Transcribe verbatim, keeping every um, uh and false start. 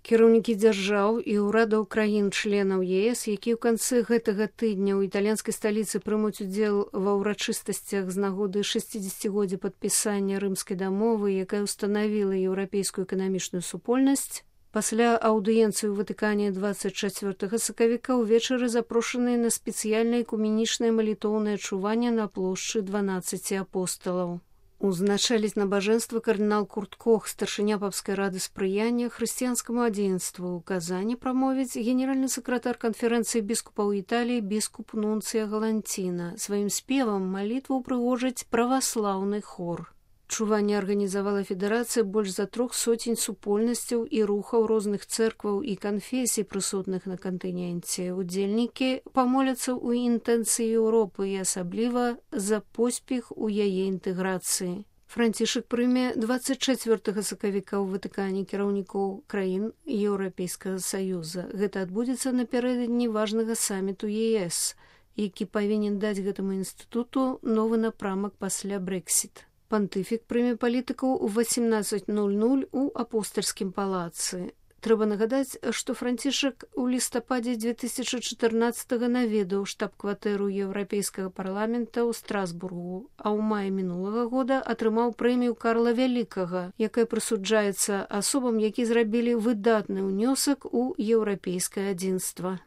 Кіраўнікі дзяржаў і ўрадаў краін-членаў ЕС, якія ў канцы гэтага тыдня ў італьянскай сталіцы прымуць удзел ва ўрачыстасцях з нагоды шэсцідзесяцігоддзя падпісання рымскай дамовы, якая ўстанавіла еўрапейскую эканамічную супольнасць, пасля аўдыенцыі ў Ватыкане дваццаць чацвёртага сакавіка ўвечары запрошаныя на спецыяльнае экуменічнае малітоўнае чуванне на плошчы дванаццаці апосталаў. Узначаліць набажэнства кардынал Курт Кох, старшыня папскай рады спрыяння хрысціянскаму адзінству. У Казані прамовіць генеральны сакратар канферэнцыі біскупаў Італіі біскуп Нунцыя Галанціна. Сваім спевам малітву ўпрыгожыць праваслаўны хор. Чуванне арганізавала федэрацыя больш за трох соцень супольнасцяў і рухаў розных цэркваў і канфесій, прысутных на кантыненце. Удзельнікі памоляцца ў інтэнцыі Еўропы і асабліва за поспех у яе інтэграцыі. Францішак прыме дваццаць чацвёртага сакавіка ў Ватыкане кіраўнікоў краін Еўрапейскага Саюза. Гэта адбудзецца напярэдадні важнага саміту ЕС, які павінен даць гэтаму інстытуту новы напрамак пасля Брэксіт. Пантыфік прыме палітыкаў у васемнаццаць нуль нуль у апостальскім палацы. Трэба нагадаць, што Францішак у лістападзе дзве тысячы чатырнаццатага наведаў штаб-кватэру Еўрапейскага парламента ў Страсбургу, а ў маі мінулага года атрымаў прэмію Карла Вялікага, якая прысуджаецца асобам, які зрабілі выдатны ўнёсак у еўрапейскае адзінства.